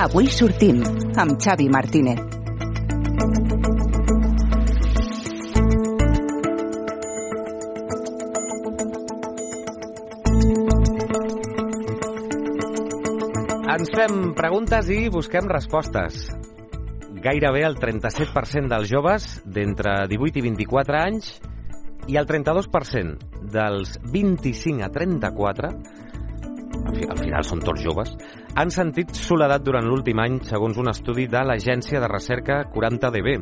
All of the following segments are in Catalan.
Avui sortim amb Xavi Martínez. Ens fem preguntes i busquem respostes. Gairebé el 37% dels joves d'entre 18 i 24 anys i el 32% dels 25 a 34, al final són tots joves, han sentit soledat durant l'últim any, segons un estudi de l'agència de recerca 40DB.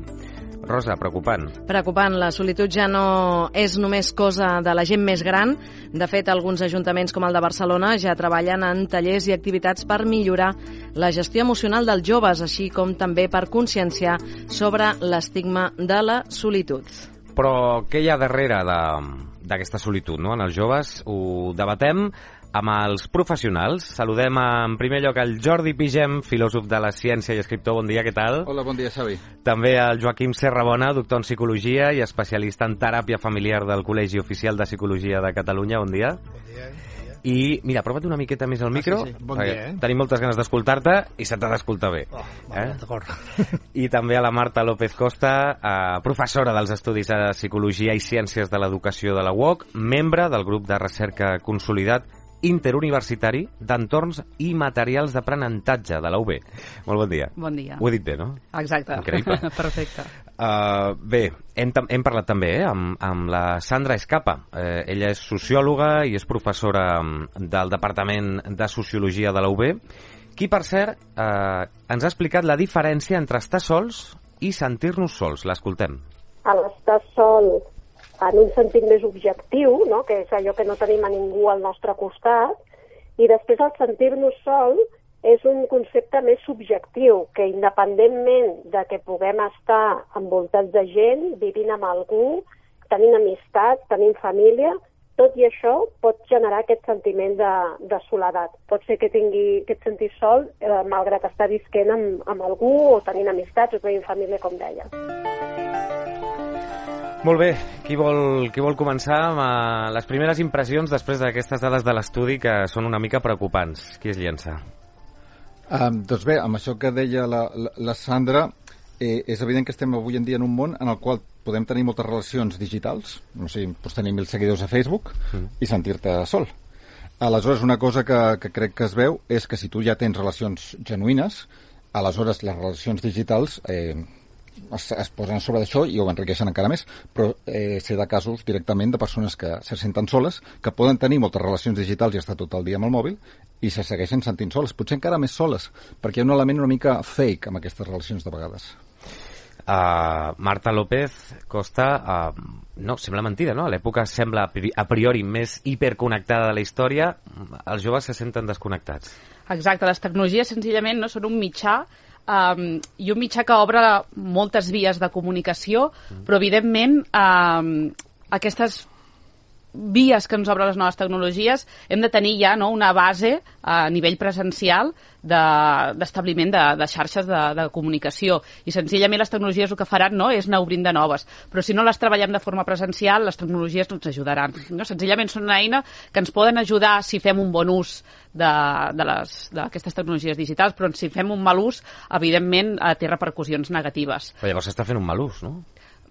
Rosa, preocupant. Preocupant. La solitud ja no és només cosa de la gent més gran. De fet, alguns ajuntaments com el de Barcelona ja treballen en tallers i activitats per millorar la gestió emocional dels joves, així com també per conscienciar sobre l'estigma de la solitud. Però què hi ha darrere d'aquesta solitud, no? En els joves ho debatem amb els professionals. Saludem en primer lloc el Jordi Pigem, filòsof de la ciència i escriptor. Bon dia, què tal? Hola, bon dia, Xavi. També el Joaquim Serrabona, doctor en Psicologia i especialista en teràpia familiar del Col·legi Oficial de Psicologia de Catalunya. Bon dia. Bon dia. I, mira, apropa't una miqueta més al micro. Sí. Bon dia, Tenim moltes ganes d'escoltar-te i se t'ha d'escoltar bé. D'acord. I també a la Marta López Costa, professora dels Estudis de Psicologia i Ciències de l'Educació de la UOC, membre del grup de recerca consolidat interuniversitari d'entorns i materials d'aprenentatge de la UB. Molt bon dia. Bon dia. Ho he dit bé, no? Exacte. Increïble. Perfecte. Bé, hem parlat també amb la Sandra Escapa. Ella és sociòloga i és professora del Departament de Sociologia de la UB, qui, per cert, ens ha explicat la diferència entre estar sols i sentir-nos sols. L'escoltem. A l'estar sol en un sentit més objectiu, no? Que és allò que no tenim a ningú al nostre costat, i després el sentir-nos sol és un concepte més subjectiu, que independentment de que puguem estar envoltats de gent, vivint amb algú, tenint amistat, tenint família, tot i això pot generar aquest sentiment de soledat. Pot ser que tingui aquest sentir sol, malgrat estar visquent amb algú, o tenint amistats, o tenint família, com deia. Molt bé, qui vol començar amb les primeres impressions després d'aquestes dades de l'estudi que són una mica preocupants? Qui es llença? Doncs bé, amb això que deia la Sandra, és evident que estem avui en dia en un món en el qual podem tenir moltes relacions digitals, no sé, pots tenir 1.000 seguidors a Facebook i sentir-te sol. Aleshores, una cosa que crec que es veu és que si tu ja tens relacions genuïnes, aleshores les relacions digitals es posen a sobre d'això i ho enriqueixen encara més, però sé de casos directament de persones que se senten soles, que poden tenir moltes relacions digitals i estar tot el dia amb el mòbil i se segueixen sentint soles, potser encara més soles, perquè hi ha un element una mica fake amb aquestes relacions de vegades. Marta López Costa, no, sembla mentida, no? A l'època sembla a priori més hiperconnectada de la història, els joves se senten desconnectats. Exacte, les tecnologies senzillament no són un mitjà i un mitjà que obre moltes vies de comunicació, però evidentment aquestes vies que ens obren les noves tecnologies hem de tenir ja una base a nivell presencial d'establiment de xarxes de comunicació, i senzillament les tecnologies el que faran és anar obrint de noves, però si no les treballem de forma presencial les tecnologies no ens ajudaran, senzillament són una eina que ens poden ajudar si fem un bon ús d'aquestes tecnologies digitals, però si fem un mal ús té repercussions negatives. Però llavors s'està fent un mal ús, no?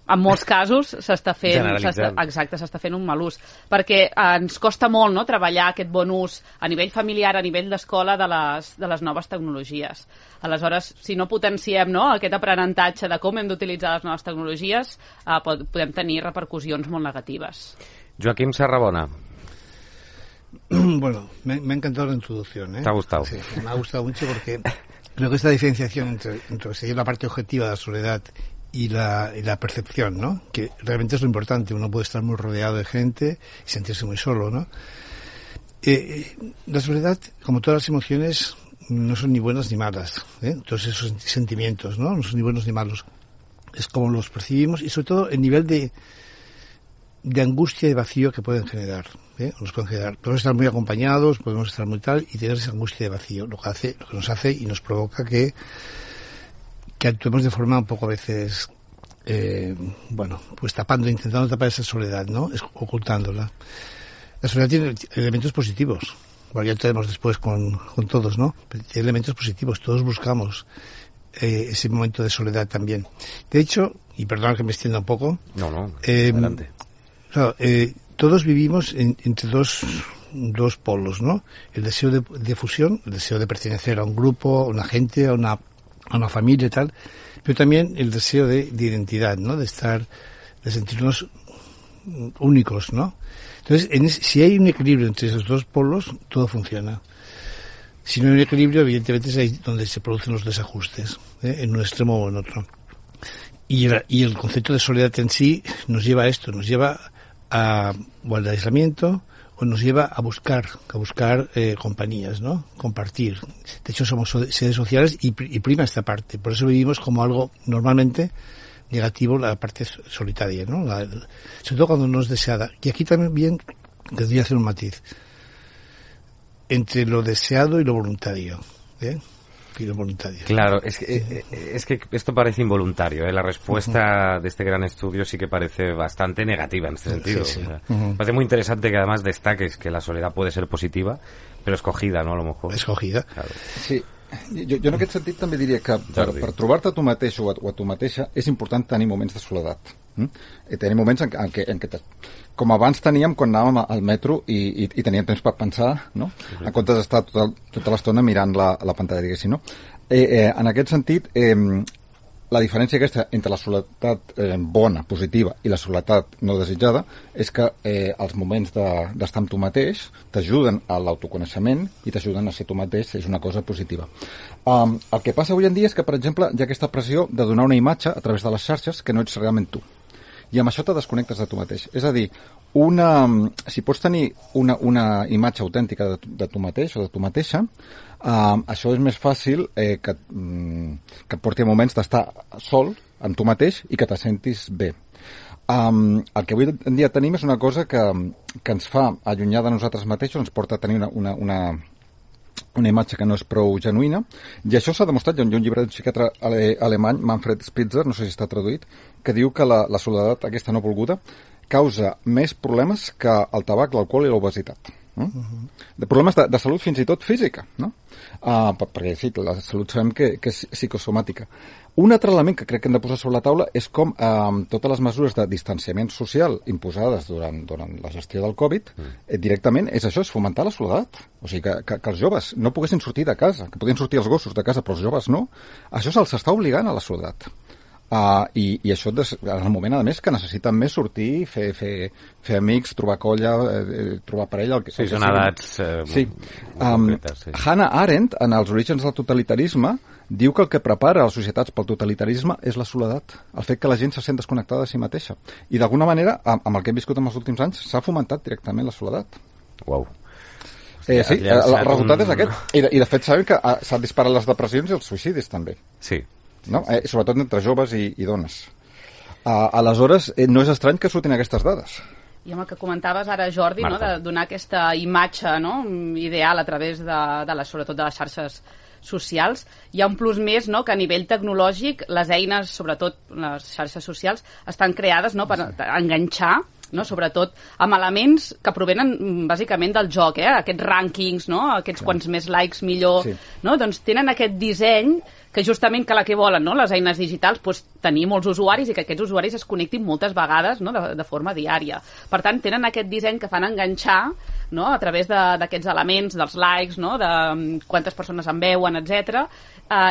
En molts casos s'està fent un mal ús, perquè ens costa molt treballar aquest bon ús a nivell familiar, a nivell d'escola de les noves tecnologies. Aleshores, si no potenciem aquest aprenentatge de com hem d'utilitzar les noves tecnologies, podem tenir repercussions molt negatives. Joaquim Serrabona. Bueno, me ha encantado la introducción. ¿Te ha gustado? Sí, me ha gustado mucho porque creo que esta diferenciación entre la parte objetiva de la soledad y la percepción, ¿no? Que realmente es lo importante. Uno puede estar muy rodeado de gente y sentirse muy solo, ¿no? La soledad, como todas las emociones, no son ni buenas ni malas, todos esos sentimientos, ¿no? No son ni buenos ni malos. Es como los percibimos y sobre todo el nivel de angustia y vacío que pueden generar, nos pueden generar. Podemos estar muy acompañados, podemos estar muy tal y tener esa angustia de vacío, lo que nos hace y nos provoca que actuemos de forma un poco a veces, pues intentando tapar esa soledad, ¿no? Ocultándola. La soledad tiene elementos positivos. bueno, ya tenemos después con todos, ¿no? Pero tiene elementos positivos, todos buscamos ese momento de soledad también. De hecho, y perdón que me extienda un poco. No, adelante. Claro, todos vivimos entre dos polos, ¿no? El deseo de fusión, el deseo de pertenecer a un grupo, a una gente, a una familia y tal, pero también el deseo de identidad, ¿no? De sentirnos únicos, ¿no? Entonces, si hay un equilibrio entre esos dos polos, todo funciona. Si no hay un equilibrio, evidentemente es ahí donde se producen los desajustes, en un extremo o en otro. Y el concepto de soledad en sí nos lleva a esto, nos lleva o al aislamiento, o nos lleva a buscar compañías, ¿no? Compartir. De hecho, somos seres sociales y prima esta parte. Por eso vivimos como algo normalmente negativo la parte solitaria, ¿no? Sobre todo cuando no es deseada. Y aquí también tendría que hacer un matiz entre lo deseado y lo voluntario, y lo voluntario. Claro, es que esto parece involuntario, La respuesta de este gran estudio sí que parece bastante negativa en este sentido. Sí. O sea, parece muy interesante que además destaques que la soledad puede ser positiva, però escogida, no? A lo mejor. Escogida. Claro. Sí. Jo en aquest sentit també diria que per trobar-te a tu mateix o a tu mateixa és important tenir moments de soledat. Tenir moments en què com abans teníem quan anàvem al metro i teníem temps per pensar, no? En comptes d'estar tota l'estona mirant la pantalla, diguéssim, no? En aquest sentit, la diferència aquesta entre la soledat bona, positiva, i la soledat no desitjada és que els moments d'estar amb tu mateix t'ajuden a l'autoconeixement i t'ajuden a ser tu mateix, és una cosa positiva. El que passa avui en dia és que, per exemple, hi ha aquesta pressió de donar una imatge a través de les xarxes que no ets realment tu. I amb això te desconnectes de tu mateix. És a dir, si pots tenir una imatge autèntica de tu mateix o de tu mateixa, això és més fàcil que et porti a moments d'estar sol amb tu mateix i que te sentis bé. El que avui en dia tenim és una cosa que ens fa allunyar de nosaltres mateixos, ens porta a tenir una imatge que no és prou genuïna, i això s'ha demostrat. Hi ha un llibre d'un psiquiatre alemany, Manfred Spitzer, no sé si està traduït, que diu que la soledat aquesta no volguda causa més problemes que el tabac, l'alcohol i l'obesitat. De problemes de salut fins i tot física, no? Perquè sí, la salut sabem que és psicosomàtica. Un altre element que crec que hem de posar sobre la taula és com totes les mesures de distanciament social imposades durant la gestió del Covid, directament és això, és fomentar la soledat. O sigui, que els joves no poguessin sortir de casa, que podien sortir els gossos de casa, però els joves no. Això se'ls està obligant a la soledat. I això en el moment, a més, que necessiten més sortir, fer amics, trobar colla, trobar parella... Sí, són edats concretes. Hannah Arendt, en Els orígens del totalitarisme, diu que el que prepara les societats pel totalitarisme és la soledat, el fet que la gent se sent desconnectada de si mateixa. I d'alguna manera, amb el que hem viscut en els últims anys, s'ha fomentat directament la soledat. Uau. Sí, el resultat és aquest. I de fet sabem que s'han disparat les depressions i els suïcidis també. Sí. No? Sobretot entre joves i dones. Aleshores, no és estrany que surtin aquestes dades. I amb el que comentaves ara, Jordi, no, de donar aquesta imatge, no, ideal a través sobretot de les xarxes socials, hi ha un plus més, no, que a nivell tecnològic les eines, sobretot les xarxes socials, estan creades, no, per enganxar, no, sobretot amb elements que provenen bàsicament del joc, aquests rànquings, no, aquests quants més likes millor, no, doncs tenen aquest disseny que justament que la que volen, no, les eines digitals, doncs, tenir molts usuaris i que aquests usuaris es connectin moltes vegades, no, de forma diària. Per tant, tenen aquest disseny que fan enganxar, no, a través d'aquests elements, dels likes, no, de quantes persones en veuen, etc.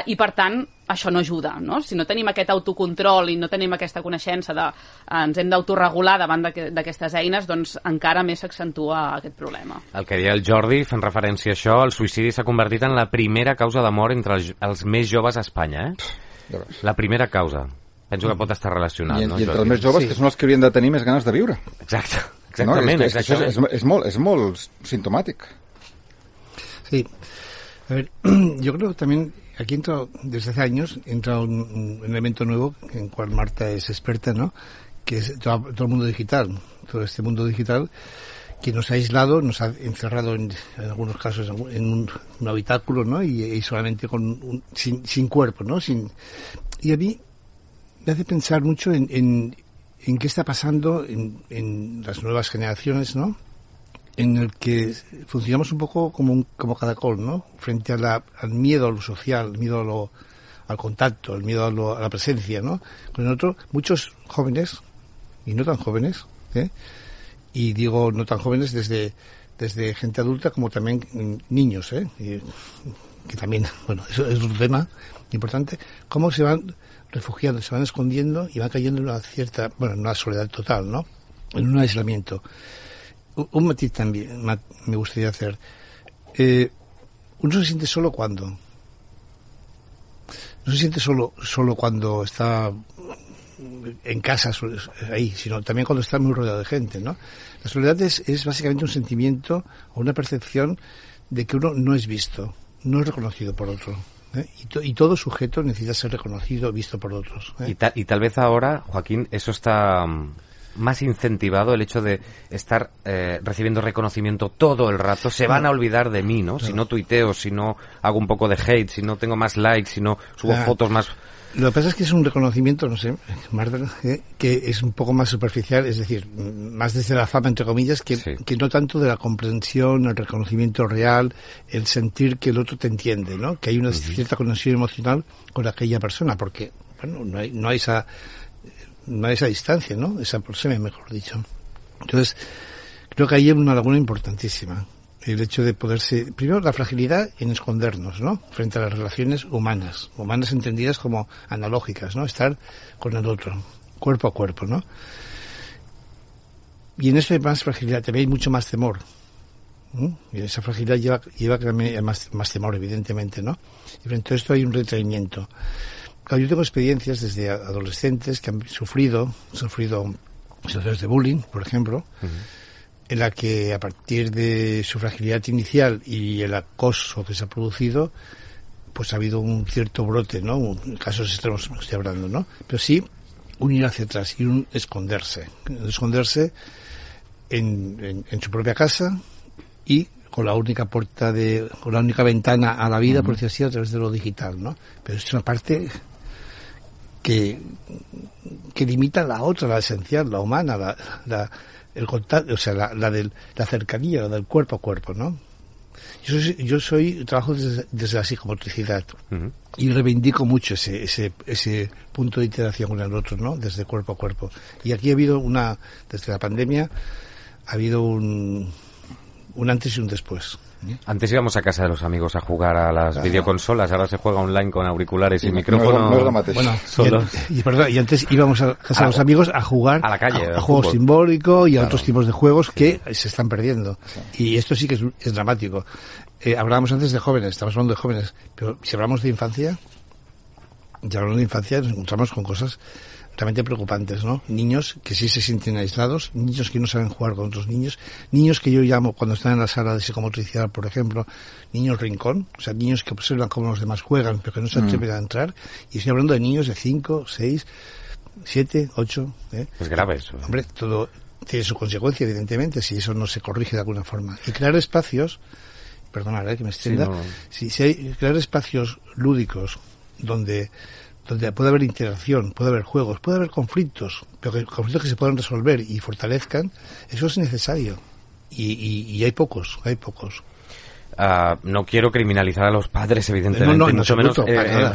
I per tant, això no ajuda, no? Si no tenim aquest autocontrol i no tenim aquesta coneixença ens hem d'autoregular davant d'aquestes eines, doncs encara més s'accentua aquest problema. El que deia el Jordi, fent referència a això, el suïcidi s'ha convertit en la primera causa de mort entre els més joves a Espanya, La primera causa. Penso que pot estar relacionat, no, I entre els més joves, que són els que haurien de tenir més ganes de viure. Exactament. Es molt sintomático. Sí. A ver, yo creo que también aquí desde hace años entra un elemento nuevo en el cual Marta es experta, ¿no? Que es todo el mundo digital, todo este mundo digital que nos ha aislado, nos ha encerrado en algunos casos en un habitáculo, ¿no? Y solamente sin cuerpo, ¿no? Y a mí me hace pensar mucho en qué está pasando en las nuevas generaciones, ¿no? en el que funcionamos un poco como caracol, ¿no? Frente al miedo a lo social, el miedo al contacto, el miedo a la presencia, ¿no? Con el otro, muchos jóvenes, y no tan jóvenes, y digo no tan jóvenes desde gente adulta como también niños, que también, bueno, eso es un tema importante, cómo se van refugiando, se van escondiendo y van cayendo en una cierta, bueno, en una soledad total, ¿no? En un aislamiento. Un matiz también me gustaría hacer. Uno se siente solo cuando. No se siente solo cuando está en casa, ahí, sino también cuando está muy rodeado de gente, ¿no? La soledad es básicamente un sentimiento o una percepción de que uno no es visto, no es reconocido por otro. Y todo sujeto necesita ser reconocido, visto por otros. Y tal vez ahora, Joaquín, eso está más incentivado, el hecho de estar recibiendo reconocimiento todo el rato. Se van a olvidar de mí, ¿no? Si no tuiteo, si no hago un poco de hate, si no tengo más likes, si no subo fotos más... Lo que pasa es que es un reconocimiento, no sé, Marta, que es un poco más superficial, es decir, más desde la fama, entre comillas, que no tanto de la comprensión, el reconocimiento real, el sentir que el otro te entiende, ¿no? Que hay una cierta conexión emocional con aquella persona, porque, bueno, no hay esa distancia, ¿no? Esa aproximación, mejor dicho. Entonces, creo que ahí hay una laguna importantísima. El hecho de poderse... Primero, la fragilidad en escondernos, ¿no? Frente a las relaciones humanas entendidas como analógicas, ¿no? Estar con el otro, cuerpo a cuerpo, ¿no? Y en eso hay más fragilidad, también hay mucho más temor. Y esa fragilidad lleva también a más temor, evidentemente, ¿no? Y frente a esto hay un retraimiento. Claro, yo tengo experiencias desde adolescentes que han sufrido situaciones de bullying, por ejemplo, en la que a partir de su fragilidad inicial y el acoso que se ha producido, pues ha habido un cierto brote, ¿no? En casos extremos estoy hablando, ¿no? Pero sí un ir hacia atrás y un esconderse en su propia casa y con la única ventana a la vida, por decir así, a través de lo digital, ¿no? Pero es una parte que limita la otra, la esencial, la humana, el contacto, o sea, la cercanía, la del cuerpo a cuerpo, ¿no? Yo trabajo desde la psicomotricidad y reivindico mucho ese punto de interacción con el otro, ¿no? Desde cuerpo a cuerpo. Y aquí desde la pandemia, ha habido un antes y un después. Antes íbamos a casa de los amigos a jugar a las videoconsolas, ahora se juega online con auriculares y micrófono. No es lo mateix. Bueno, y antes íbamos a casa de los amigos a jugar a la calle, a juegos simbólicos y a otros tipos de juegos que se están perdiendo. Y esto sí que es dramático. Hablábamos antes de jóvenes, estamos hablando de jóvenes, pero si hablamos de infancia, nos encontramos con cosas realmente preocupantes, ¿no? Niños que sí se sienten aislados, niños que no saben jugar con otros niños que yo llamo, cuando están en la sala de psicomotricidad, por ejemplo, niños rincón, o sea, niños que observan cómo los demás juegan, pero que no se atreven a entrar, y estoy hablando de niños de 5, 6, 7, 8... Es grave eso. Hombre, todo tiene su consecuencia, evidentemente, si eso no se corrige de alguna forma. Y crear espacios, perdonad, que me extienda, crear espacios lúdicos donde puede haber interacción, puede haber juegos, puede haber conflictos, pero conflictos que se puedan resolver y fortalezcan, eso es necesario. Y hay pocos. No quiero criminalizar a los padres, evidentemente, no, mucho menos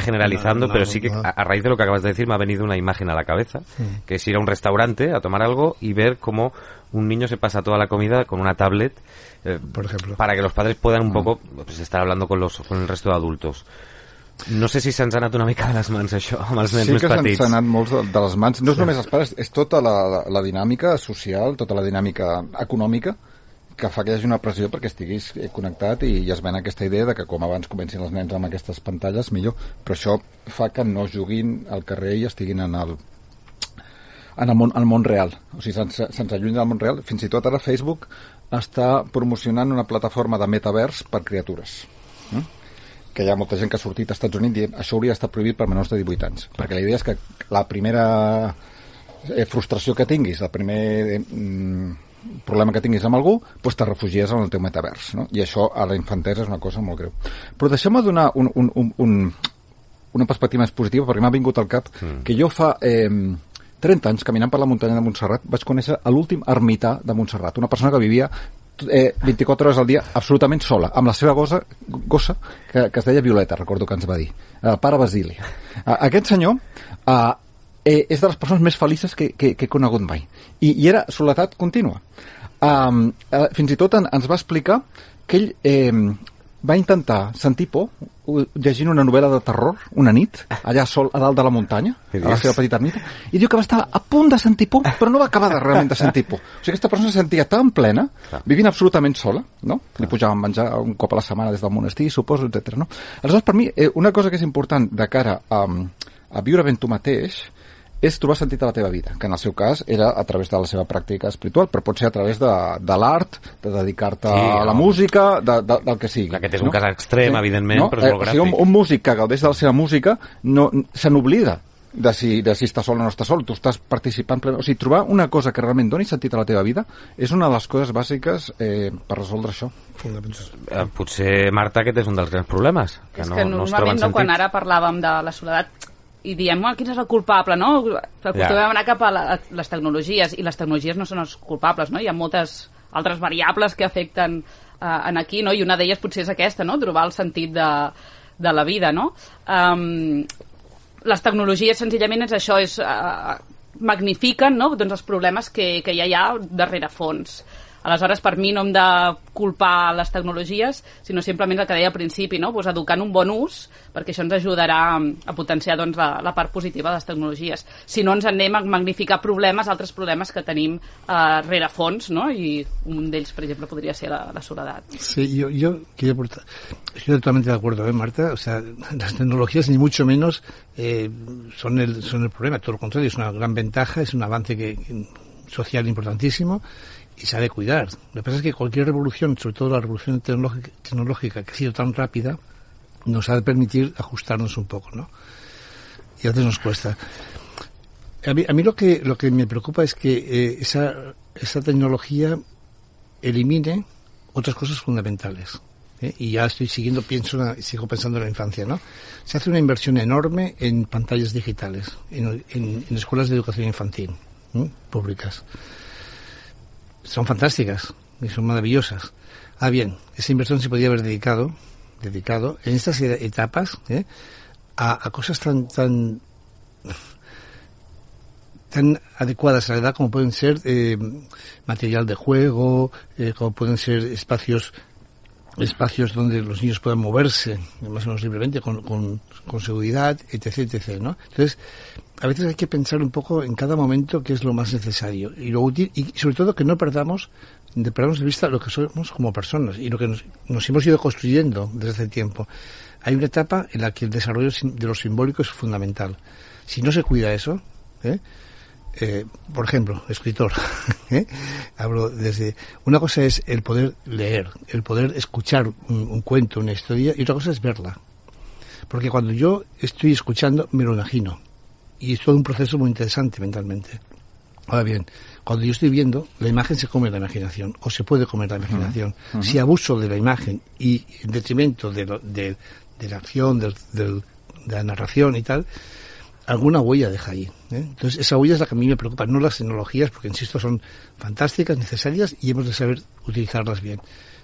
generalizando, no, pero sí que a raíz de lo que acabas de decir me ha venido una imagen a la cabeza, que es ir a un restaurante a tomar algo y ver cómo un niño se pasa toda la comida con una tablet, por ejemplo, para que los padres puedan un poco estar hablando con el resto de adultos. No sé si se'ns ha anat una mica de les mans, això, amb els nens més petits. Sí que se'ns ha anat molts de les mans. No és només els pares, és tota la dinàmica social, tota la dinàmica econòmica, que fa que hi hagi una pressió perquè estiguis connectat i es ven aquesta idea de que com abans comencin els nens amb aquestes pantalles, millor. Però això fa que no juguin al carrer i estiguin en el món real. O sigui, se'ns allunyen del món real. Fins i tot ara Facebook està promocionant una plataforma de metavers per criatures. Que hi ha molta gent que ha sortit als Estats Units dient això hauria d'estar prohibit per menors de 18 anys. Perquè la idea és que la primera frustració que tinguis, el primer problema que tinguis amb algú, doncs te refugies en el teu metavers, no? I això a la infantesa és una cosa molt greu. Però deixeu-me donar una perspectiva més positiva, perquè m'ha vingut al cap que jo fa 30 anys, caminant per la muntanya de Montserrat, vaig conèixer l'últim ermità de Montserrat, una persona que vivia 24 hores al dia absolutament sola, amb la seva gossa que es deia Violeta, recordo que ens va dir, el pare Basili. Aquest senyor és de les persones més felices que he conegut mai, i era soledat contínua. Fins i tot ens va explicar que ell va intentar sentir por llegint una novel·la de terror una nit, allà sol a dalt de la muntanya, a la seva petita ermita, i diu que va estar a punt de sentir por, però no va acabar realment de sentir por. O sigui, aquesta persona se sentia tan plena, vivint absolutament sola, no? Li pujaven a menjar un cop a la setmana des del monestir, suposo, etc. No? Aleshores, per mi, una cosa que és important de cara a viure ben tu mateix és trobar sentit a la teva vida, que en el seu cas era a través de la seva pràctica espiritual, però pot ser a través de l'art, de dedicar-te a la música, del que sigui. Aquest és un cas extrem, evidentment, però és molt gràfic. O sigui, un músic que gaudeix de la seva música se n'oblida de si està sol o no està sol, tu estàs participant plenament. O sigui, trobar una cosa que realment doni sentit a la teva vida és una de les coses bàsiques per resoldre això. Potser, Marta, aquest és un dels grans problemes, que no es troben sentit. Quan ara parlàvem de la soledat i diem, quin és el culpable, no? Acostumem a anar cap a les tecnologies, i les tecnologies no són els culpables, no? Hi ha moltes altres variables que afecten en aquí, no? I una d'elles potser és aquesta, no? Trobar el sentit de la vida, no? Les tecnologies senzillament és això, magnifiquen, no? Doncs els problemes que ja hi ha darrere fons. Aleshores, per mi no hem de culpar les tecnologies, sinó simplement el que deia al principi, no? Pues educar en un bon ús, perquè això ens ajudarà a potenciar doncs, la part positiva de les tecnologies. Si no, ens anem a magnificar altres problemes que tenim rerefons, no? I un d'ells, per exemple, podria ser la soledat. Sí, yo quiero aportar. Estoy totalmente de acuerdo, Marta. O sea, las tecnologías ni mucho menos son el problema. Todo lo contrario, es una gran ventaja, es un avance social importantísimo. Y se ha de cuidar. Lo que pasa es que cualquier revolución, sobre todo la revolución tecnológica que ha sido tan rápida, nos ha de permitir ajustarnos un poco, ¿no? Y a veces nos cuesta. A mí lo que me preocupa es que esa tecnología elimine otras cosas fundamentales. Y ya sigo pensando en la infancia, ¿no? Se hace una inversión enorme en pantallas digitales, en escuelas de educación infantil, públicas. Son fantásticas y son maravillosas. Bien, esa inversión se podría haber dedicado en estas etapas a cosas tan adecuadas a la edad como pueden ser material de juego, como pueden ser espacios donde los niños puedan moverse más o menos libremente con seguridad, etc., ¿no? Entonces, a veces hay que pensar un poco en cada momento qué es lo más necesario y lo útil, y sobre todo que no perdamos de vista lo que somos como personas y lo que nos hemos ido construyendo desde hace tiempo. Hay una etapa en la que el desarrollo de lo simbólico es fundamental. Si no se cuida eso, por ejemplo, escritor, hablo desde... Una cosa es el poder leer, el poder escuchar un cuento, una historia, y otra cosa es verla. Porque cuando yo estoy escuchando, me lo imagino. Y es todo un proceso muy interesante mentalmente. Ahora bien, cuando yo estoy viendo, la imagen se come la imaginación, o se puede comer la imaginación. Si abuso de la imagen y en detrimento de la acción, de la narración y tal, alguna huella deja ahí. Entonces, esa huella es la que a mí me preocupa, no las tecnologías, porque insisto, son fantàstiques, necessàries, i hemos de saber utilitzar-les bien.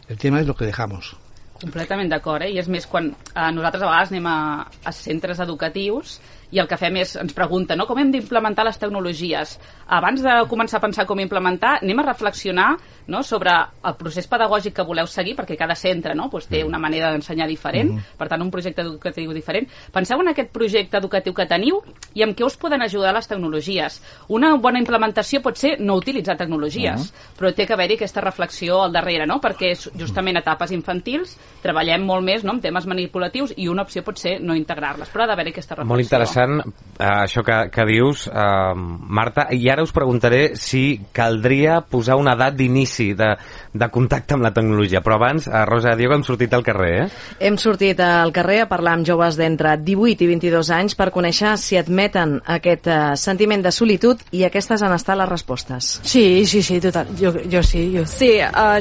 El tema és lo que dejamos. Completament d'acord, I és més quan nosaltres a vegades anem a centres educatius i el que fem és, ens pregunta, no? Com hem d'implementar les tecnologies? Abans de començar a pensar com implementar, anem a reflexionar, no?, sobre el procés pedagògic que voleu seguir, perquè cada centre, no?, pues, té una manera d'ensenyar diferent, per tant, un projecte educatiu diferent. Penseu en aquest projecte educatiu que teniu i amb què us poden ajudar les tecnologies. Una bona implementació pot ser no utilitzar tecnologies, però té que haver-hi aquesta reflexió al darrere, no?, perquè justament a etapes infantils treballem molt més, no?, amb temes manipulatius i una opció pot ser no integrar-les, però ha d'haver-hi aquesta reflexió. Molt interessant això que dius, Marta, i ara us preguntaré si caldria posar una edat d'inici de contacte amb la tecnologia, però abans, Rosa Diego, hem sortit al carrer, Hem sortit al carrer a parlar amb joves d'entre 18 i 22 anys per conèixer si admeten aquest sentiment de solitud, i aquestes han estat les respostes. Sí, total. Jo sí. Sí,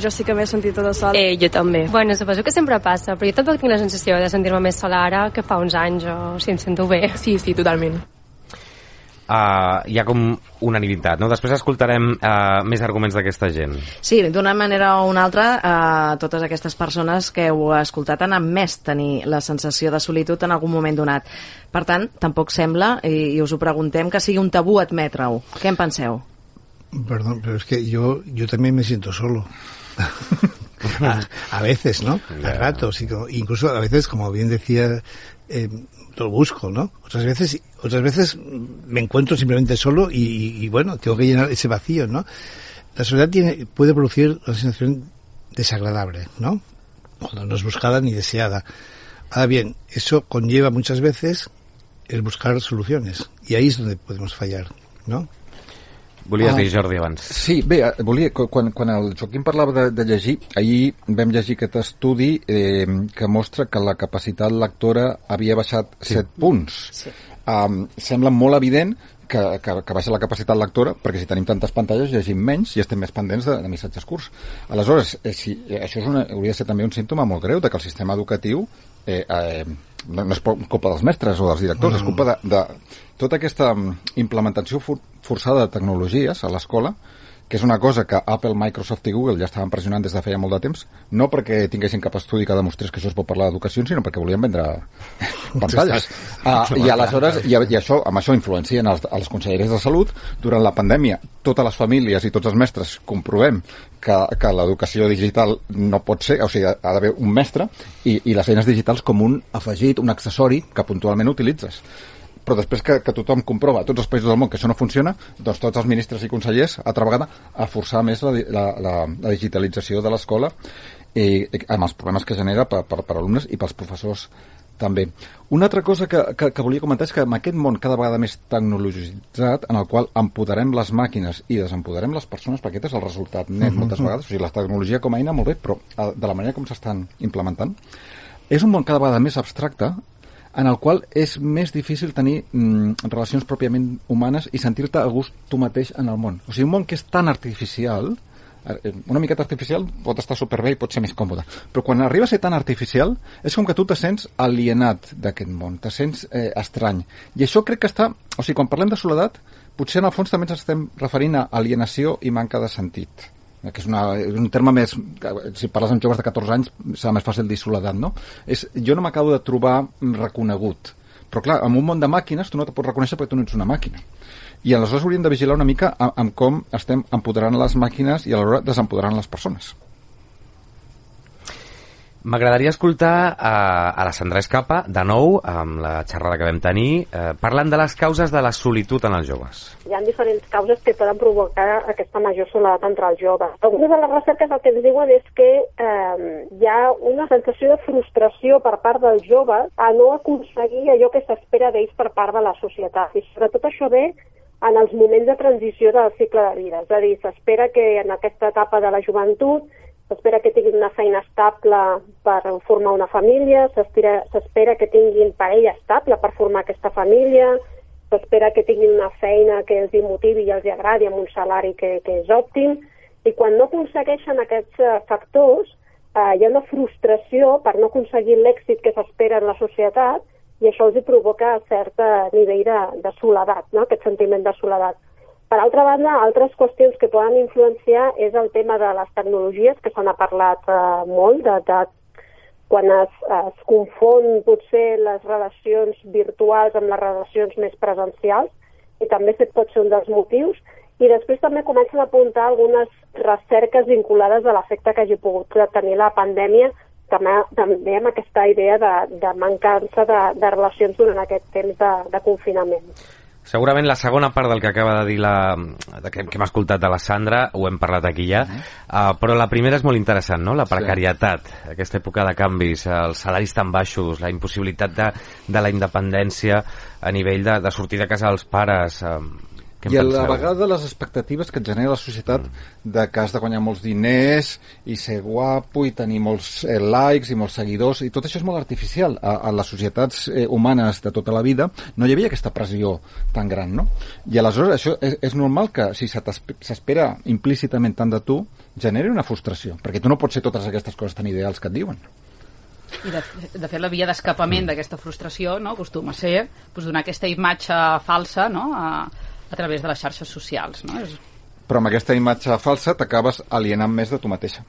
jo sí que m'he sentit tota sola. Jo també. Bueno, suposo que sempre passa, però jo tampoc tinc la sensació de sentir-me més sola ara que fa uns anys, o si em sento bé. Sí, totalment. hi ha com unanimitat, no? Després escoltarem més arguments d'aquesta gent. Sí, d'una manera o una altra, totes aquestes persones que heu escoltat han admès tenir la sensació de solitud en algun moment donat. Per tant, tampoc sembla, i us ho preguntem, que sigui un tabú admetre-ho. Què en penseu? Perdón, pero es que yo también me siento solo. a veces, ¿no? A ratos, incluso a veces, como bien decía, lo busco, ¿no? Otras veces me encuentro simplemente solo y bueno, tengo que llenar ese vacío, ¿no? La soledad puede producir una sensación desagradable, ¿no? Cuando no es buscada ni deseada. Ahora bien, eso conlleva muchas veces el buscar soluciones, y ahí es donde podemos fallar, ¿no? Volies dir, Jordi, abans. Sí, bé, quan el Joaquim parlava de llegir, ahir vam llegir aquest estudi que mostra que la capacitat lectora havia baixat 7 punts. Sí. Sembla molt evident que baixa la capacitat lectora, perquè si tenim tantes pantalles llegim menys i estem més pendents de missatges curts. Aleshores, això hauria de ser també un símptoma molt greu de que el sistema educatiu no és culpa dels mestres o dels directors, és culpa de tota aquesta implementació forçada de tecnologies a l'escola, que és una cosa que Apple, Microsoft i Google ja estaven pressionant des de feia molt de temps, no perquè tinguessin cap estudi que demostrés que això es pot parlar d'educació, sinó perquè volien vendre pantalles. I aleshores, amb això influencien els conselleres de salut. Durant la pandèmia, totes les famílies i tots els mestres comprovem que l'educació digital no pot ser, o sigui, ha d'haver un mestre, i les eines digitals com un afegit, un accessori que puntualment utilitzes. Però després que tothom comprova a tots els països del món que això no funciona, doncs tots els ministres i consellers, altra vegada, a forçar més la digitalització de l'escola amb els problemes que genera per alumnes i pels professors també. Una altra cosa que volia comentar és que en aquest món cada vegada més tecnologitzat, en el qual empoderem les màquines i desempoderem les persones, perquè aquest és el resultat net moltes vegades, o sigui, la tecnologia com a eina molt bé, però de la manera com s'estan implementant, és un món cada vegada més abstracte, en el qual és més difícil tenir relacions pròpiament humanes i sentir-te a gust tu mateix en el món. O sigui, un món que és tan artificial, una miqueta artificial pot estar superbé i pot ser més còmode, però quan arriba a ser tan artificial és com que tu te sents alienat d'aquest món, te sents estrany. I això crec que està... O sigui, quan parlem de soledat, potser en el fons també ens estem referint a alienació i manca de sentit, que és un terme més... Si parles amb joves de 14 anys serà més fàcil dir soledat, no? Jo no m'acabo de trobar reconegut. Però clar, en un món de màquines tu no te pots reconèixer perquè tu no ets una màquina. I aleshores hauríem de vigilar una mica amb com estem empoderant les màquines i alhora desempoderant les persones. M'agradaria escoltar a la Sandra Escapa, de nou, amb la xerrada que vam tenir, parlant de les causes de la solitud en els joves. Hi ha diferents causes que poden provocar aquesta major soledat entre els joves. Algunes de les recerques el que ens diuen és que hi ha una sensació de frustració per part dels joves a no aconseguir allò que s'espera d'ells per part de la societat. I sobretot això ve en els moments de transició del cicle de vida. És a dir, s'espera que en aquesta etapa de la joventut s'espera que tinguin una feina estable per formar una família, s'espera que tinguin parella estable per formar aquesta família, s'espera que tinguin una feina que els motivi i els agradi amb un salari que és òptim, i quan no aconsegueixen aquests factors hi ha una frustració per no aconseguir l'èxit que s'espera en la societat, i això els provoca cert nivell de soledat, no? Aquest sentiment de soledat. Per altra banda, altres qüestions que poden influenciar és el tema de les tecnologies, que se n'ha parlat molt, de quan es confon potser les relacions virtuals amb les relacions més presencials, i també pot ser un dels motius. I després també comencen a apuntar algunes recerques vinculades a l'efecte que hagi pogut tenir la pandèmia, també amb aquesta idea de mancança de relacions durant aquest temps de confinament. Segurament la segona part del que acaba de dir que hem escoltat de la Sandra ho hem parlat aquí ja, però la primera és molt interessant, no? La precarietat, aquesta època de canvis, els salaris tan baixos, la impossibilitat de la independència a nivell de sortir de casa dels pares. I a la vegada les expectatives que et genera la societat de que has de guanyar molts diners i ser guapo i tenir molts likes i molts seguidors, i tot això és molt artificial. A les societats humanes de tota la vida no hi havia aquesta pressió tan gran, no? I aleshores això és normal que si s'espera implícitament tant de tu generi una frustració, perquè tu no pots ser totes aquestes coses tan ideals que et diuen. I de fet la via d'escapament d'aquesta frustració, no, acostuma a ser donar aquesta imatge falsa, no, a través de les xarxes socials, no? Però amb aquesta imatge falsa t'acabes alienant més de tu mateixa.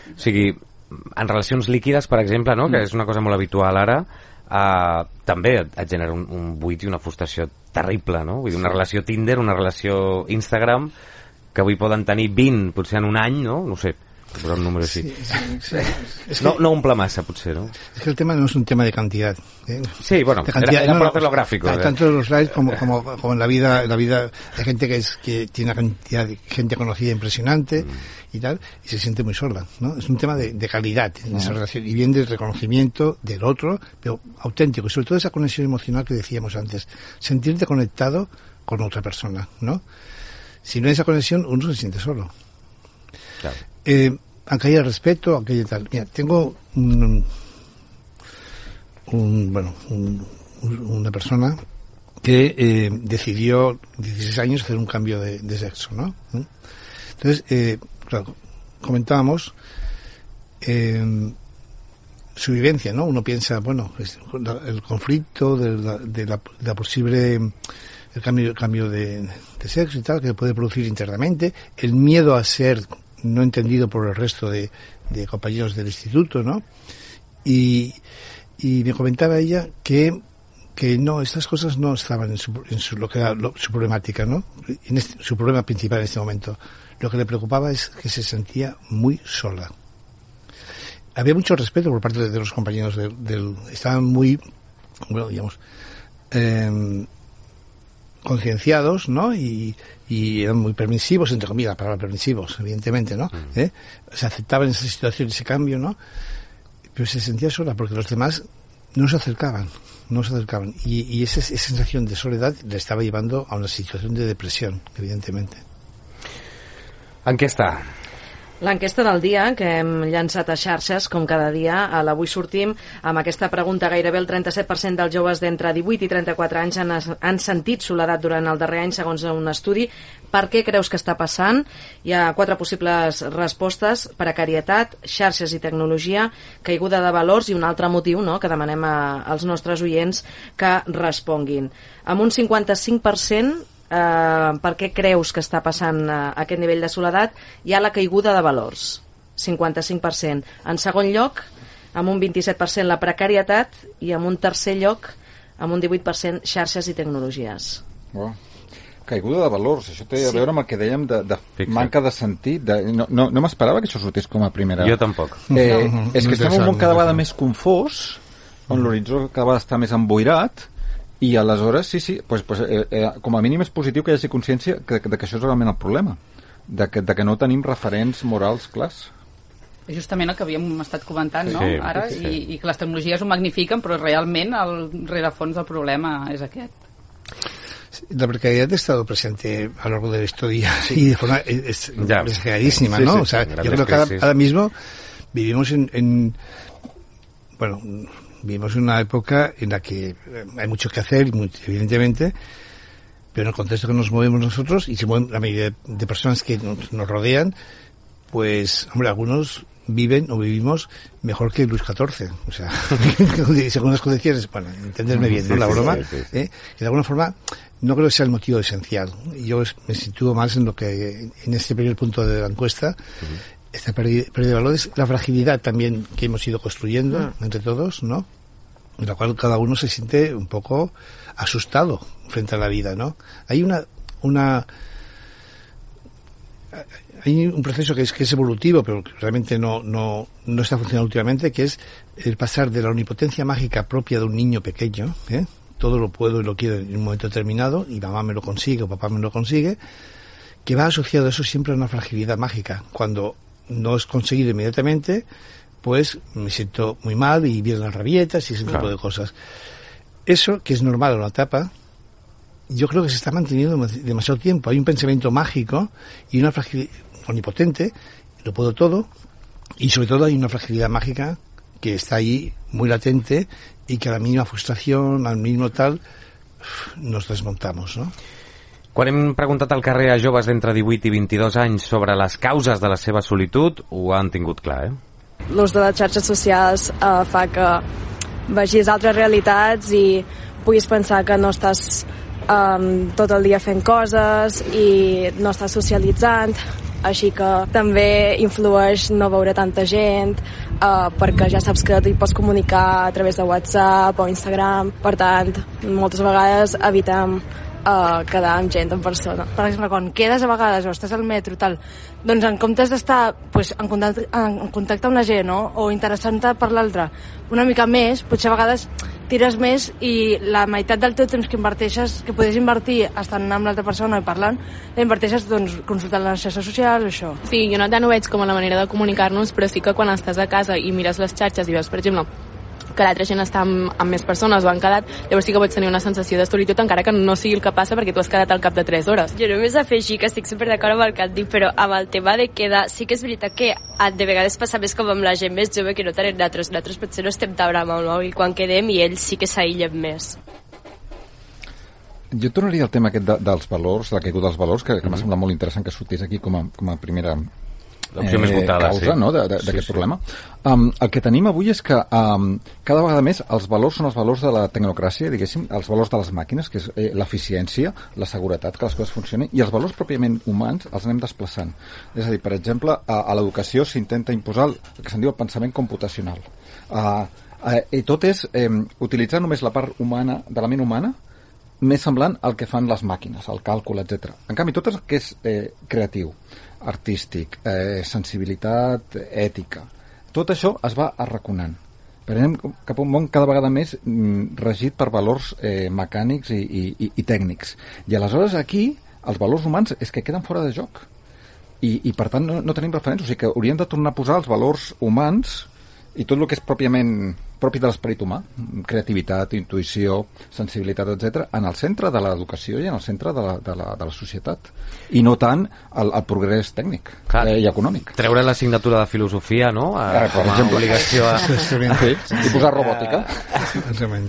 O sigui, en relacions líquides, per exemple, no? Que és una cosa molt habitual ara, també et genera un buit i una frustració terrible, no? Vull dir, una relació Tinder, una relació Instagram, que avui poden tenir 20, potser en un any, no? No sé, posar un número així. No omple massa, potser, ¿no? Es que el tema no es un tema de cantidad. Sí, bueno, era por hacerlo gráfico. Tanto los likes como en la vida hay gente que tiene una cantidad de gente conocida impresionante y tal, y se siente muy sola, ¿no? Es un tema de calidad en esa relación, y bien del reconocimiento del otro, pero auténtico, y sobre todo esa conexión emocional que decíamos antes, sentirte conectado con otra persona, ¿no? Si no hay esa conexión, uno se siente solo. Claro. Aunque haya respeto, aunque haya tal. Mira, tengo una persona que decidió 16 años hacer un cambio de sexo, ¿no? Entonces, claro, comentábamos su vivencia, ¿no? Uno piensa, bueno, el conflicto de la posible el cambio de sexo y tal, que puede producir internamente, el miedo a ser no entendido por el resto de compañeros del instituto, ¿no? Y me comentaba ella que no, estas cosas no estaban en su lo que era su problemática, ¿no? Su problema principal en este momento. Lo que le preocupaba es que se sentía muy sola. Había mucho respeto por parte de los compañeros estaban muy, bueno, digamos, concienciados, ¿no? Y eran muy permisivos, entre comillas, la palabra permisivos, evidentemente, ¿no? Se aceptaban esa situación, ese cambio, ¿no? Pero se sentía sola porque los demás no se acercaban. Y esa sensación de soledad le estaba llevando a una situación de depresión, evidentemente. Enquesta. L'enquesta del dia que hem llançat a xarxes, com cada dia, a l'Avui Sortim, amb aquesta pregunta gairebé el 37% dels joves d'entre 18 i 34 anys han sentit soledat durant el darrer any, segons un estudi. Per què creus que està passant? Hi ha 4 possibles respostes: precarietat, xarxes i tecnologia, caiguda de valors i un altre motiu, no?, que demanem als nostres oients que responguin. Amb un 55%, per què creus que està passant aquest nivell de soledat, hi ha la caiguda de valors, 55%. En segon lloc, amb un 27%, la precarietat, i amb un tercer lloc, amb un 18%, xarxes i tecnologies. Oh. Caiguda de valors, això té a veure amb el que dèiem de manca de sentit. No m'esperava que això sortís com a primera. Jo tampoc. És que estem en un món cada vegada més confós, on l'horitzó cada vegada està més emboirat, i aleshores, com a mínim és positiu que hi hagi consciència de que això és realment el problema, de que no tenim referents morals clars. És justament el que havíem estat comentant, no? Ara, i que les tecnologies ho magnifiquen, però realment el rerefons del problema és aquest. La precariedad ha estado presente a lo largo de la historia y de forma exageradísima, ¿no? O sea, yo creo que ahora mismo vivimos vivimos en una época en la que hay mucho que hacer, evidentemente, pero en el contexto que nos movemos nosotros, y se mueven la mayoría de personas que nos rodean, pues, hombre, algunos viven o vivimos mejor que Luis XIV. O sea, según las condiciones, bueno, entenderme bien, ¿no? La broma, que de alguna forma no creo que sea el motivo esencial. Yo me sitúo más en lo que, en este primer punto de la encuesta, esta pérdida de valores, la fragilidad también que hemos ido construyendo entre todos, ¿no? En la cual cada uno se siente un poco asustado frente a la vida, ¿no? Hay hay un proceso que es evolutivo, pero que realmente no está funcionando últimamente, que es el pasar de la omnipotencia mágica propia de un niño pequeño, todo lo puedo y lo quiero en un momento determinado, y mamá me lo consigue o papá me lo consigue, que va asociado a eso siempre a una fragilidad mágica. Cuando no es conseguido inmediatamente, pues me siento muy mal y vienen las rabietas y ese tipo de cosas. Eso, que es normal en una etapa, yo creo que se está manteniendo demasiado tiempo. Hay un pensamiento mágico y una fragilidad omnipotente, lo puedo todo, y sobre todo hay una fragilidad mágica que está ahí muy latente y que a la mínima frustración, al mínimo tal, nos desmontamos, ¿no? Quan hem preguntat al carrer a joves d'entre 18 i 22 anys sobre les causes de la seva solitud, ho han tingut clar, l'ús de les xarxes socials fa que vegis altres realitats i puguis pensar que no estàs tot el dia fent coses i no estàs socialitzant, així que també influeix no veure tanta gent perquè ja saps que t'hi pots comunicar a través de WhatsApp o Instagram. Per tant, moltes vegades evitem quedar amb gent en persona. Per exemple, quan quedes a vegades o estàs al metro tal, doncs en comptes d'estar en contacte amb la gent, no? O interessant-te per l'altre una mica més, potser a vegades tires més i la meitat del teu temps que inverteixes, que podries invertir estant amb l'altra persona i parlant, la inverteixes doncs consultant les xarxes socials o això. Sí, jo no tant ho veig com a la manera de comunicar-nos, però sí que quan estàs a casa i mires les xarxes i veus, per exemple, que l'altra gent està amb més persones o han quedat, llavors sí que pots tenir una sensació de solitud encara que no sigui el que passa perquè tu has quedat al cap de 3 hores. Jo només afegir que estic superd'acord amb el que et dic, però amb el tema de quedar, sí que és veritat que de vegades passa més com amb la gent més jove que no tant nosaltres potser no estem tan amb el mòbil quan quedem i ells sí que s'aïllen més. Jo tornaria al tema aquest dels valors, la caiguda dels valors, que m'ha semblat molt interessant que sortís aquí com a primera l'opció més votada, causa, no?, d'aquest problema. El que tenim avui és que cada vegada més els valors són els valors de la tecnocràcia, diguéssim, els valors de les màquines, que és l'eficiència, la seguretat, que les coses funcionin, i els valors pròpiament humans els anem desplaçant. És a dir, per exemple, a l'educació s'intenta imposar el que se'n diu el pensament computacional. I tot és utilitzar només la part humana, de la ment humana, més semblant al que fan les màquines, el càlcul, etc. En canvi, tot el que és creatiu, artístic, sensibilitat, ètica, tot això es va arraconant. Però anem cap a un món cada vegada més regit per valors mecànics i tècnics. I aleshores aquí els valors humans és que queden fora de joc. I per tant no tenim referents. O sigui que hauríem de tornar a posar els valors humans i tot el que és pròpiament propi de l'esperit humà, creativitat, intuïció, sensibilitat, etc., en el centre de l'educació i en el centre de la societat. I no tant el progrés tècnic i econòmic. Treure l'assignatura de filosofia, no?, com a obligació i posar robòtica.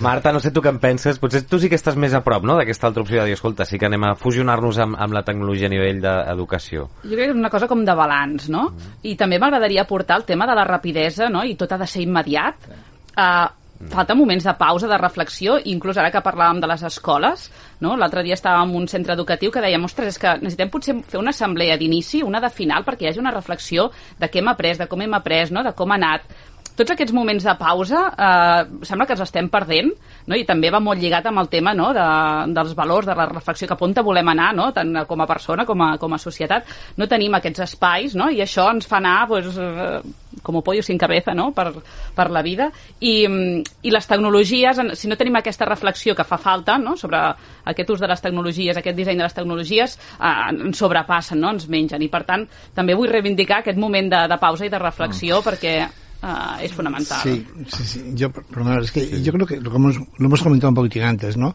Marta, no sé tu què en penses, potser tu sí que estàs més a prop, no?, d'aquesta altra opció de dir, escolta, sí que anem a fusionar-nos amb la tecnologia a nivell d'educació. Jo crec que és una cosa com de balanç, no? I també m'agradaria aportar el tema de la rapidesa, no?, i tot ha de ser immediat. Falta moments de pausa, de reflexió, inclús ara que parlàvem de les escoles, no? L'altre dia estàvem en un centre educatiu que dèiem, ostres, és que necessitem potser fer una assemblea d'inici, una de final, perquè hi hagi una reflexió de què hem après, de com hem après, no?, de com ha anat. Tots aquests moments de pausa sembla que els estem perdent, no? I també va molt lligat amb el tema, no?, dels valors, de la reflexió, cap on volem anar, no?, tant com a persona com a societat. No tenim aquests espais, no?, i això ens fa anar pues, com pollo sin cabeza, no?, per la vida. I les tecnologies, si no tenim aquesta reflexió que fa falta, no?, sobre aquest ús de les tecnologies, aquest disseny de les tecnologies, ens sobrepassen, no?, ens mengen. I per tant, també vull reivindicar aquest moment de pausa i de reflexió perquè es fundamental. Sí. Yo creo que lo hemos comentado un poquitín antes, ¿no?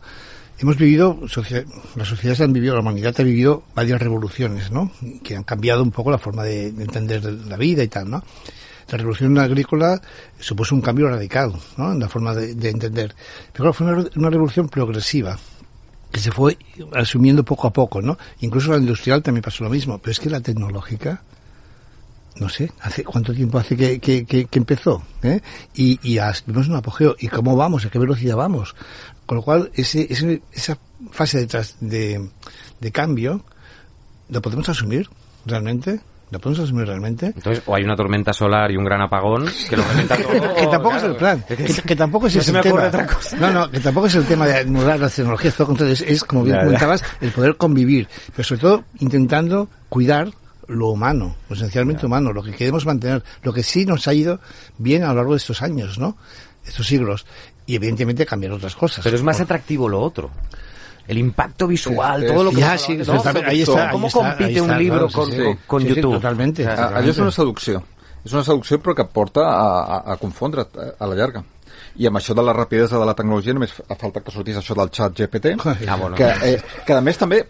Hemos vivido, las sociedades han vivido, la humanidad ha vivido varias revoluciones, ¿no?, que han cambiado un poco la forma de entender la vida y tal, ¿no? La revolución agrícola supuso un cambio radical, ¿no?, en la forma de entender. Pero claro, fue una revolución progresiva que se fue asumiendo poco a poco, ¿no? Incluso la industrial también pasó lo mismo, pero es que la tecnológica, no sé, ¿hace cuánto tiempo hace que empezó? Y vimos un apogeo. ¿Y cómo vamos? ¿A qué velocidad vamos? Con lo cual, esa fase de cambio, ¿la podemos asumir realmente? ¿La podemos asumir realmente? Entonces, o hay una tormenta solar y un gran apagón que lo revienta todo. Que tampoco es el plan. Que tampoco es el tema. Otra cosa. No, que tampoco es el tema de anular las tecnologías. Todo contrario, es como bien comentabas, el poder convivir. Pero sobre todo, intentando cuidar lo humano, lo esencialmente humano, lo que queremos mantener, lo que sí nos ha ido bien a lo largo de estos años, ¿no?, estos siglos, y evidentemente cambiar otras cosas. Pero es más atractivo lo otro. El impacto visual, todo lo que... Ya, sí, ¿no? Ahí está. ¿Cómo compite un libro con YouTube? Sí, totalmente. Allò és una seducció. És una seducció però que porta a confondre a la llarga. I amb això de la rapidesa de la tecnologia només fa falta que sortís això del xat GPT, que a més també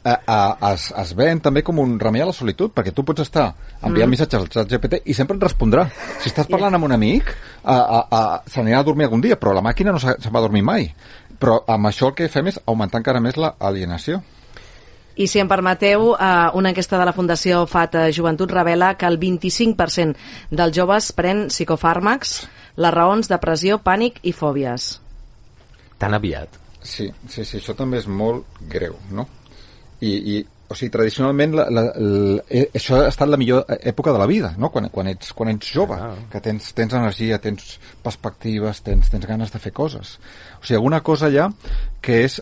es ven també com un remei a la solitud, perquè tu pots estar enviant missatges al xat GPT i sempre et respondrà. Si estàs parlant amb un amic, se n'anirà a dormir algun dia, però la màquina no se'n va a dormir mai. Però amb això el que fem és augmentar encara més l'alienació. I si em permeteu, una enquesta de la Fundació FAT Joventut revela que el 25% dels joves pren psicofàrmacs, les raons depressió, pànic i fòbies. Tan aviat. Sí, això també és molt greu, no? O sigui, tradicionalment això ha estat la millor època de la vida, no? Quan ets jove, que tens energia, tens perspectives, tens ganes de fer coses. O sigui, alguna cosa allà que és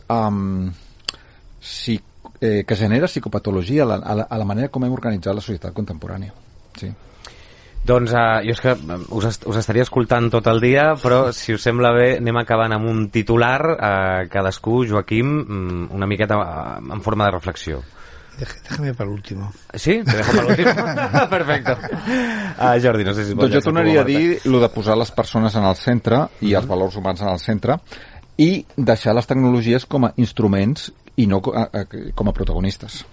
que genera psicopatologia a la manera com hem organitzat la societat contemporània. Sí. Doncs jo és que us estaria escoltant tot el dia, però si us sembla bé anem acabant amb un titular, cadascú, Joaquim, una miqueta en forma de reflexió. Déjame para el último. ¿Sí? ¿Te dejo para el último? Perfecto. Jordi, no sé si... Doncs jo tornaria a dir el de posar les persones en el centre i els valors humans en el centre i deixar les tecnologies com a instruments i no com a protagonistes.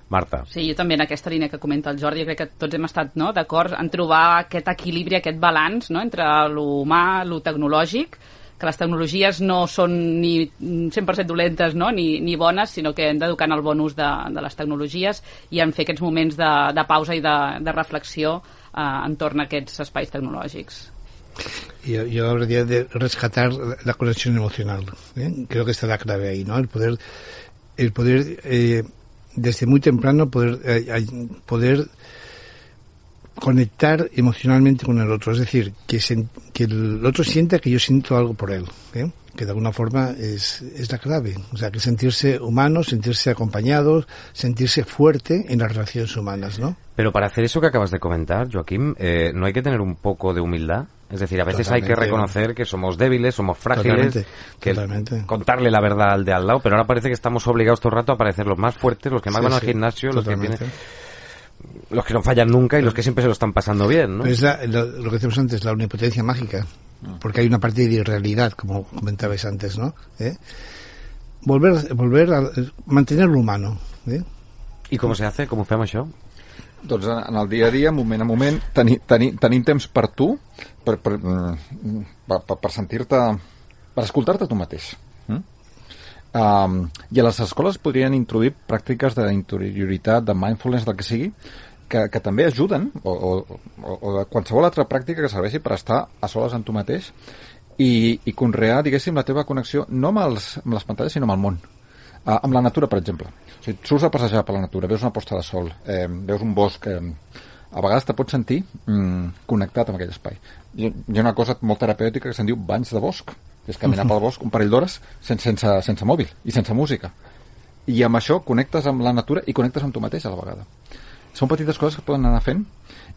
Marta. Sí, jo també en aquesta línia que comenta el Jordi, crec que tots hem estat d'acord en trobar aquest equilibri, aquest balanç entre l'humà, lo tecnològic, que les tecnologies no són ni 100% dolentes, no? ni bones, sinó que hem d'educar en el bon ús de les tecnologies i en fer aquests moments de pausa i de reflexió entorn a aquests espais tecnològics. Yo hablaría de rescatar la conexión emocional. Creo que está la clave ahí, ¿no? El poder desde muy temprano poder conectar emocionalmente con el otro, es decir, que el otro sienta que yo siento algo por él, que de alguna forma es la clave, o sea, que sentirse humano, sentirse acompañado, sentirse fuerte en las relaciones humanas, ¿no? Pero para hacer eso que acabas de comentar, Joaquim, ¿no hay que tener un poco de humildad? Es decir, a veces Totalmente. Hay que reconocer que somos débiles, somos frágiles, Totalmente. Contarle la verdad al de al lado, pero ahora parece que estamos obligados todo el rato a parecer los más fuertes, los que más van al gimnasio, los que no fallan nunca y los que siempre se lo están pasando bien, ¿no? Es lo que decíamos antes, la omnipotencia mágica, porque hay una parte de irrealidad, como comentabais antes, ¿no? Volver a mantener lo humano. I com se hace? Com ho fem, això? Doncs en el dia a dia, moment a moment, tenint temps per tu, per sentir-te, per escoltar-te tu mateix. I a les escoles podrien introduir pràctiques d'interioritat, de mindfulness, del que sigui, que també ajuden, o de qualsevol altra pràctica que serveixi per estar a soles amb tu mateix i conrear, diguéssim, la teva connexió no amb les pantalles, sinó amb el món. Amb la natura, per exemple. O sigui, surts a passejar per la natura, veus una posta de sol, veus un bosc, a vegades te pots sentir connectat amb aquell espai. Hi ha una cosa molt terapèutica que se'n diu banys de bosc, que és caminar pel bosc un parell d'hores sense mòbil i sense música. I amb això connectes amb la natura i connectes amb tu mateix a la vegada. Són petites coses que poden anar fent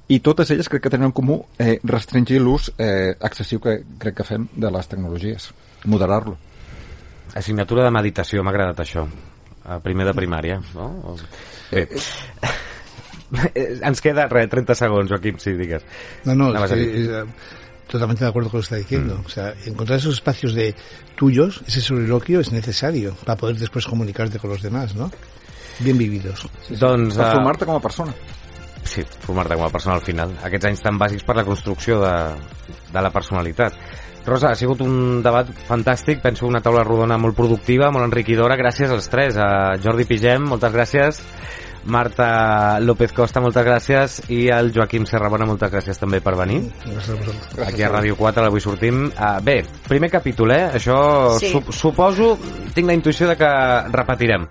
i totes elles crec que tenen en comú restringir l'ús excessiu que crec que fem de les tecnologies, moderar-lo. Assignatura de meditació, m'ha agradat això. Primer de primària, no? Bé. Ens queda, 30 segons, Joaquim, si digues. No, totalmente de acuerdo con lo que está diciendo. O sea, encontrar esos espacios de tuyos, ese soliloquio es necesario para poder después comunicarte con los demás, ¿no? Bien vividos. Sí. Doncs, per formar-te com a persona. Sí, formar-te com a persona al final. Aquests anys tan bàsics per la construcció de la personalitat. Rosa, ha sigut un debat fantàstic, penso una taula rodona molt productiva, molt enriquidora, gràcies als tres. A Jordi Pigem, moltes gràcies. Marta López Costa, moltes gràcies. I al Joaquim Serrabona, moltes gràcies també per venir. Gràcies a vosaltres. Aquí a Ràdio 4, l'Avui Sortim. Bé, primer capítol, això sí. Suposo, tinc la intuïció de que repetirem.